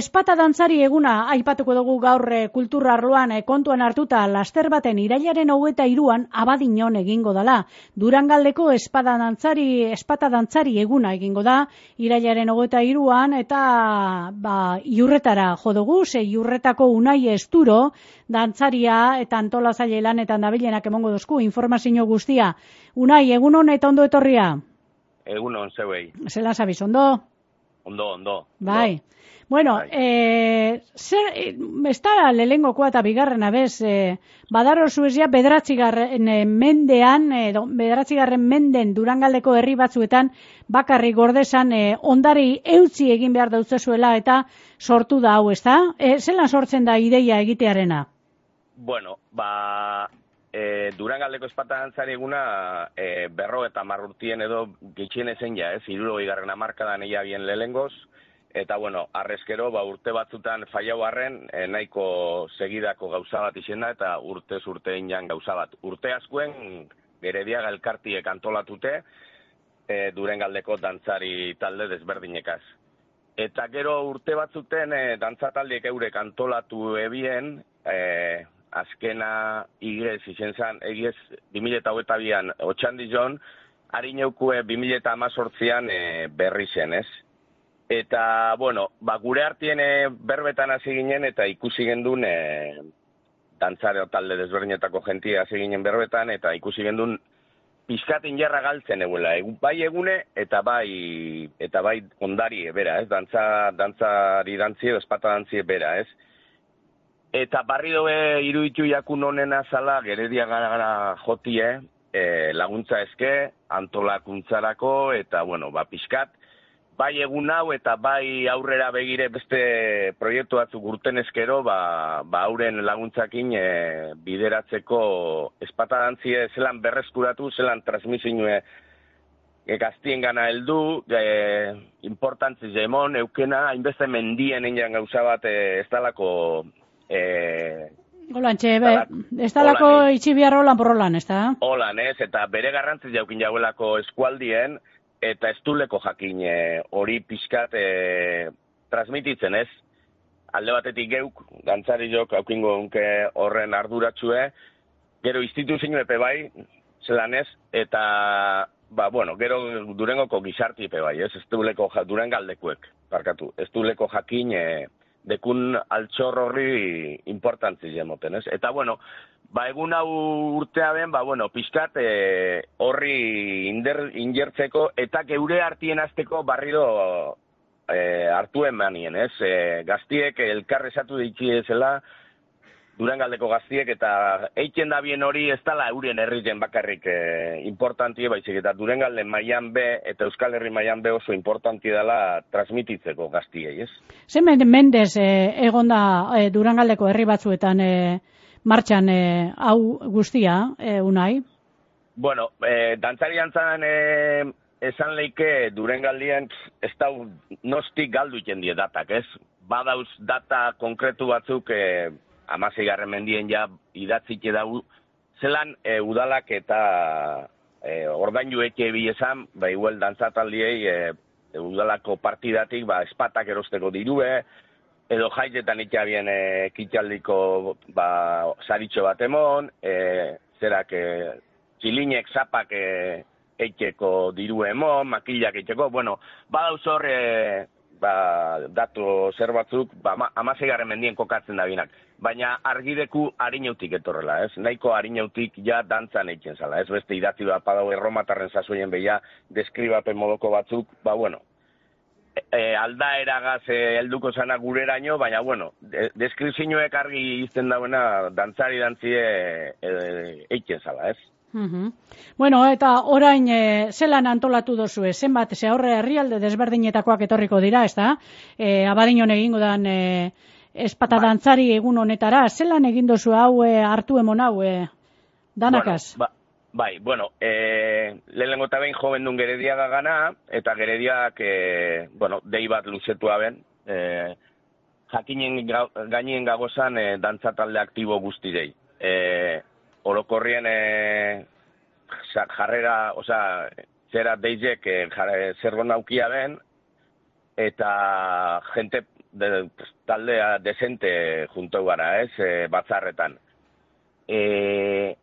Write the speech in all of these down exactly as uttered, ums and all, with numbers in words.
espata dantzari eguna aipatuko dugu gaur e, kultura arloan e, kontuan hartuta laster baten irailaren hogeita hiruan Abadiñon egingo dala. Durangaldeko espada dantzari, espata dantzari eguna egingo da irailaren hogeita hiruan eta ba, iurretara jo dugu, ze iurretako Unai Esturo dantzaria eta antolatzaile lanetan dabilenak emongo duzku informazio guztia. Unai, egun hon eta ondo etorria? Egun hon zeuei. Zela zabiz, ondo? Ondo, ondo. Bai. Ondo. Bueno, bai. eh, zer, ez da lehengokoa eta bigarrena bez, eh, badaro zuezia bederatzigarren mendean, eh, bederatzigarren menden Durangaldeko herri batzuetan bakarrik gordezan eh, ondari eutzi egin behar dautzezuela eta sortu da hau, ez da? Eh, zelan sortzen da ideia egitearena? Bueno, ba... E, Durangaldeko espata dantzari eguna e, berro eta marrurtien edo gitxien ezen ja, ez, hirurogei garren hamarkadan eia bien lehengoz, eta bueno, arrezkero, ba, urte batzutan fallau arren, e, nahiko segidako gauza bat izena eta urtez urtein jan gauza bat. Urte askuen, Gerediaga elkartiek antolatute, e, Durangaldeko dantzari talde desberdinekaz. Eta gero urte batzuten e, dantzataldiek eurek antolatu ebien, e, azkena igez izen zan, egiez bi mila hogeita bian otxandijon, harineukue bi mila hamazortzian e, berri zen, ez? Eta, bueno, ba, gure artien e, berbetan hasi ginen eta ikusi gendun e, dantzare talde desberdinetako jentia hasi ginen berbetan eta ikusi gendun pizkatin jarra galtzen eguela, e, bai egune eta bai eta bai ondari bera, ez? Dantza, dantzari dantzi edo espata dantzi bera, ez? Eta barri dobe iruditu jakun honena zala Gerediaga gara jotie, e, laguntza eske, antolakuntzarako, eta, bueno, ba, pixkat, bai egun hau eta bai aurrera begire beste proiektu batzuk urten eskero, ba, ba auren laguntzakin e, bideratzeko espata dantzie zelan berreskuratu, zelan transmisioe e, gaztien gana heldu, e, importantzi zemon, eukena, hainbeste mendien egin gauza bat e, ez dalako... Eh, Olantxe, ez dalako itxibiar holan porrolan, ez da? Holan, ez, eta bere garrantziz jaukin jauelako eskualdien, eta ez duleko jakin hori e, pixkat e, transmititzen, ez? Alde batetik geuk, dantzari jok, haukingo unke horren arduratsue, gero instituzio epe bai, zelan ez, eta, ba, bueno, gero Durengoko gizarti epe bai, ez? Ez duleko, Durangaldekuek, parkatu, ez duleko jakin... E, dekun altxor horri importantzi jemoten, ez? Eta, bueno, ba, egun hau urtea ben, ba, bueno, pixkat e, horri inder, injertzeko eta geure hartien azteko barriro e, hartu emanien, ez? E, gaztiek elkarrezatu ditzi ezela, Durangaldeko gaztiek, eta eiken da bien hori ez dala eurien herrien bakarrik e, importantie, baizik, eta Durangalden mailan be, eta Euskal Herri mailan be oso importantie dela transmititzeko gaztiei, ez? Zer mendez e, egon da e, Durangaldeko herri batzuetan e, martxan e, hau guztia, e, Unai? Bueno, e, dantzari dantzan e, esan leike Durangaldien ez da nostik galdu iten die datak, ez? Badauz data konkretu batzuk... E, hamaseigarren mendien ja idatzike dau, zelan e, udalak eta e, ordaindu eke esan, ba, igual dantzataldiei e, udalako partidatik, ba, espatak erosteko dirue, edo jaitetan ikabien e, kitxaldiko ba, saritxo bat emon, e, zerak e, txilinek zapak e, eiteko diru emon, makillak eiteko, bueno, badauz hor, e, ba, datu zer batzuk, ba, hamaseigarren mendien kokatzen da binak. Baina argideku harinautik etorrela, ez? Nahiko harinautik ja dantzan eitzen zala, ez? Beste idatzi bat padau erromatarren sasoien beha deskribapen modoko batzuk, ba, bueno, e, e, aldaeragaz e, helduko zana gureraino, baina, bueno, de, deskripzioek argi izten dauena dantzari dantzie e, eitzen zala, ez? Uh-huh. Bueno, eta orain e, zelan antolatu dozu, zenbat, ze horre herrialde desberdinetakoak etorriko dira, ez da? E, Abadiñon egingo dan... E, espata dantzari egun honetara, zelan egin dozu hau e, hartu emon hau, e, danakaz? Bueno, ba, bai, bueno, e, lehenengo eta behin joven duen Gerediaga gana, eta Gerediak, e, bueno, dei bat luzetu aben, e, jakinen ga, gainien gagozan e, dantzatalde aktibo guztirei. E, orokorrien e, jarrera, oza, zera deizek e, zer gona aukia ben, eta jente de, taldea desente junto gara, ez, e, batzarretan. E,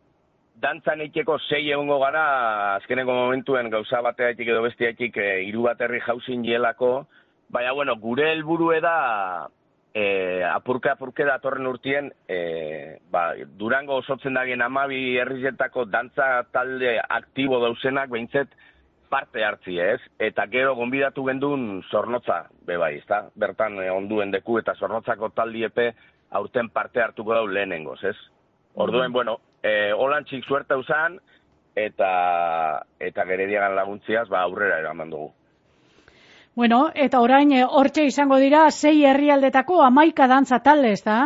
dantzan eiteko sei egongo gara, azkeneko momentuen gauza bateatik edo bestiatik e, hiru baterri jauzin jelako, baina, bueno, gure helburue da, e, apurke apurke datorren urtien, e, ba, Durango osotzen dagien amabi herrizetako dantza talde aktibo dauzenak, behintzet, parte hartzi, ez? Eta gero gonbidatu gendun Zornotza, bebai, ezta? Bertan eh, onduen deku eta Zornotzako taldiepe aurten parte hartuko dau lehenengoz, ez? Orduen, bueno, eh, holantxik suerte usan, eta eta Gerediagan laguntziaz, ba, aurrera eraman dugu. Bueno, eta orain hortxe izango dira, sei herrialdetako hamaika dantza talde, ezta?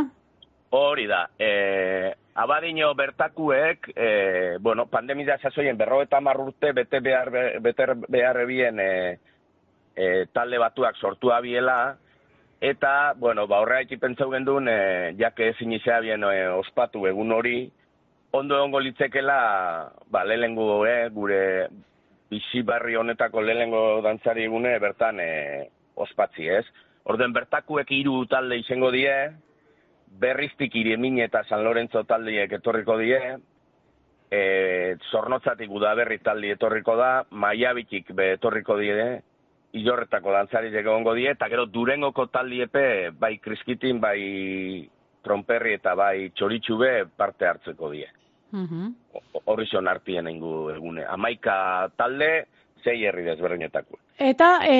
Hori da, eh, Abadino bertakuek, e, bueno, pandemia sasoien berrogeita hamar urte bete behar, bete behar ebien e, e, talde batuak sortu abiela, eta, bueno, ba, horregatik pentsau gendun, e, jake ezin izea bien e, ospatu egun hori, ondo egongo litzekela, ba, lehengo, e, gure bizi barri honetako lehengo dantzari egune bertan e, ospatzi, ez? Orden bertakuek hiru talde izango die, Berriztik Irimin eta San Lorenzo taldiek etorriko die, e, Zornotzatik Udaberri taldi etorriko da, Maiabitik be etorriko die, Ilorretako dantzariek egongo die, eta gero Durengoko taldiepe bai Kriskitin, bai Tronperri eta bai Txoritxube parte hartzeko die. Uh-huh. Horri zion hartien ingu egune. Hamaika talde, sei herri desberdinetako. Eta e,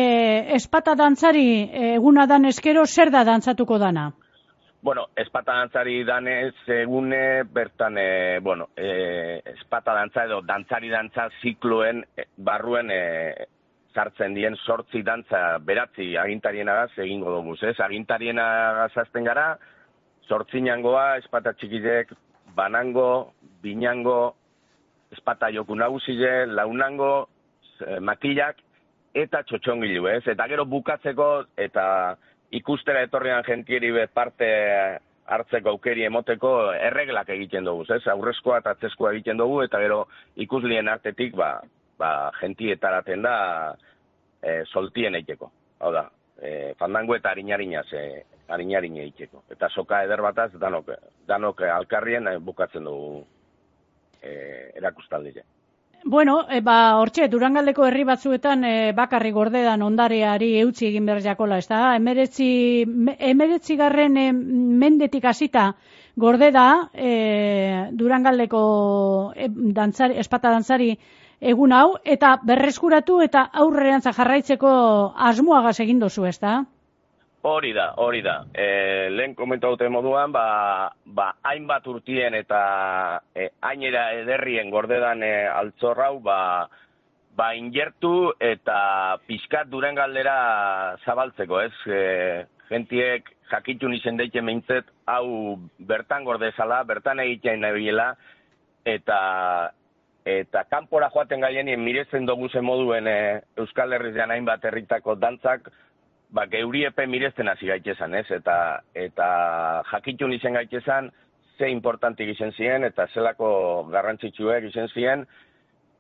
espata dantzari eguna dan eskero, zer da dantzatuko dana? Bueno, espata dantzari danez egune, bertan, e, bueno, e, espata dantza edo dantzari dantza zikloen e, barruen e, sartzen dien sortzi dantza beratzi agintarienagaz egingo dugu, ez? Agintarienagaz azten gara, sortzinangoa, espata txikidek, banango, binango, espata joku nagusile, launango, e, makillak, eta txotxongilu, ez? Eta gero bukatzeko, eta ikustera etorrian jentieri be parte hartzeko aukeri emoteko erreglak egiten dugu, ez? Aurrezkoa eta atzeskoa egiten dugu, eta gero ikuslien artetik, ba, ba jentietaraten da e, soltien eiteko. Hau da, e, fandango eta harinarinaz, e, harinarine eiteko. Eta soka eder bataz, danok, danok alkarrien e, bukatzen dugu e, erakustaldia. Bueno, e, ba, hortxe, Durangaldeko herri batzuetan e, bakarri gordedan ondareari eutzi egin behar jakola, ez da? Emeretzi, emeretzi garren e, mendetik hasita gordeda e, Durangaldeko e, dantzari, espata dantzari egun hau, eta berreskuratu eta aurrerantza jarraitzeko asmoagaz egin dozu, ez da? Hori da, hori da. E, lehen komentu dute moduan, ba, ba, hainbat urtien eta e, hainera ederrien gordedan e, altzorrau, ba, ba, ingertu eta pixkat Durangaldera zabaltzeko, ez? E, gentiek jakitun izen deiten meintzet, hau bertan gordezala, bertan egitean nabiela, eta eta kanpora joaten gaienien mirezen doguzen moduen e, Euskal Herrian hainbat herritako dantzak, ba, geuriepe mirezten hasi gaitezan, ez? Eta, eta jakitun izen gaitezan, ze importantik izen ziren, eta zelako garrantzitsuek izen ziren,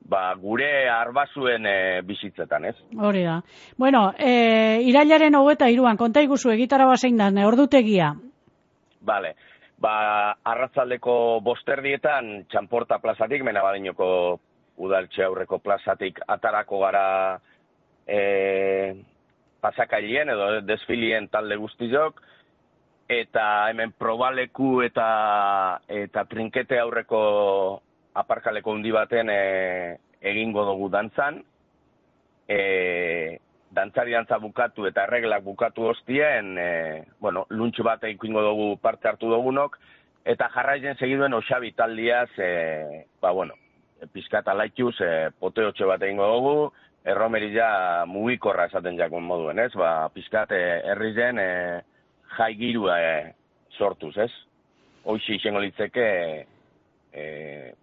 ba, gure arbazuen e, bizitzetan, ez? Hori da. Bueno, e, irailaren hogeita hiruan, konta iguzu egitara bazein da, ordutegia? Bale, ba, arratzaldeko bosterdietan, Txanporta plazatik, Menabadinoko udaltxe aurreko plazatik atarako gara e, pasakailien edo desfilien talde guztiok, eta hemen probaleku eta eta trinkete aurreko aparkaleko hundi baten e, egingo dugu dantzan. E, dantzari dantza bukatu eta erreglak bukatu hostien, e, bueno, luntxu bat egingo dugu parte hartu dugunok, eta jarraitzen segiduen Oxabi taldiaz, e, ba, bueno, pizkata laituz, e, poteotxo bat egingo dugu, erromerila mugikorra esaten jakun moduen, ez? Ba, pizkat herrizen e, jai girua e, sortuz, ez? Hoxe izango litzeke e,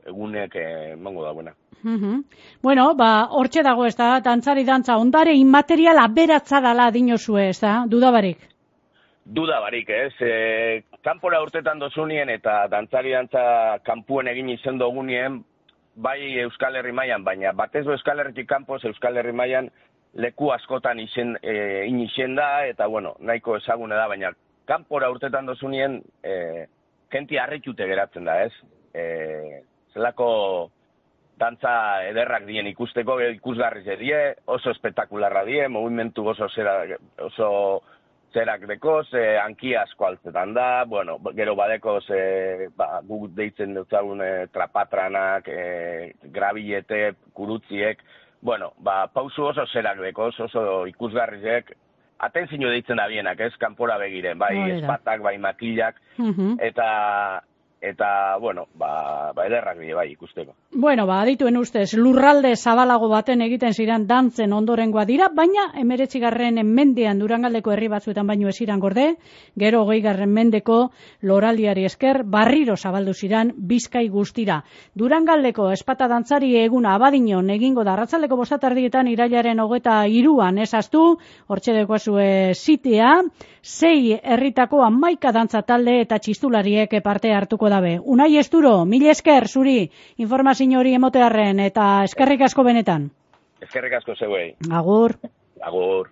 egunek emango da buena. Uh-huh. Bueno, ba, hortxe dago, ez da, dantzari dantza, ondare inmaterial aberatza dala dinozue, ez da, dudabarik? Dudabarik, ez? E, kanpora urtetan dozunien eta dantzari dantza kanpuen egin izen dugunien, bai Euskal Herri mailan, baina batez Euskal Herritik kanpoz Euskal Herri mailan leku askotan izen, e, inixen da, eta bueno, nahiko ezagune da, baina kanpora urtetan dozunien, e, jenti harritute geratzen da, ez? E, zelako dantza ederrak dien ikusteko, ikusgarri ze die, oso espektakularra die, movimentu oso zera, oso zerak dekoz, e, anki asko altzetan da, bueno, gero badekoz, e, ba, guk deitzen dutzagun e, trapatranak, e, grabilete, kurutziek, bueno, ba, pausu oso zerak dekoz, oso ikusgarrizek, atentzio deitzen da bienak, ez, kanpora begiren, bai espatak, bai makillak, uh-huh. eta... Eta, bueno, ba, ba ederrak bide bai ikusteko. Bueno, ba, adituen ustez, lurralde zabalago baten egiten ziren dantzen ondorengoa dira, baina emeretzigarren mendean Durangaldeko herri batzuetan baino esiran gorde, gero hogeigarren mendeko loraldiari esker barriro zabaldu ziran Bizkai guztira. Durangaldeko espata dantzari eguna Abadiñon egingo da arratsaldeko bostatardietan irailaren hogeta hiruan ezaztu, hortxe dekoazue zitea, sei herritako hamaika dantza talde eta txistulariek parte hartuko dabe. Unai Esturo, mil esker zuri informazio hori emotearren eta eskerrik asko benetan. Eskerrik asko zeuei. Agur. Agur.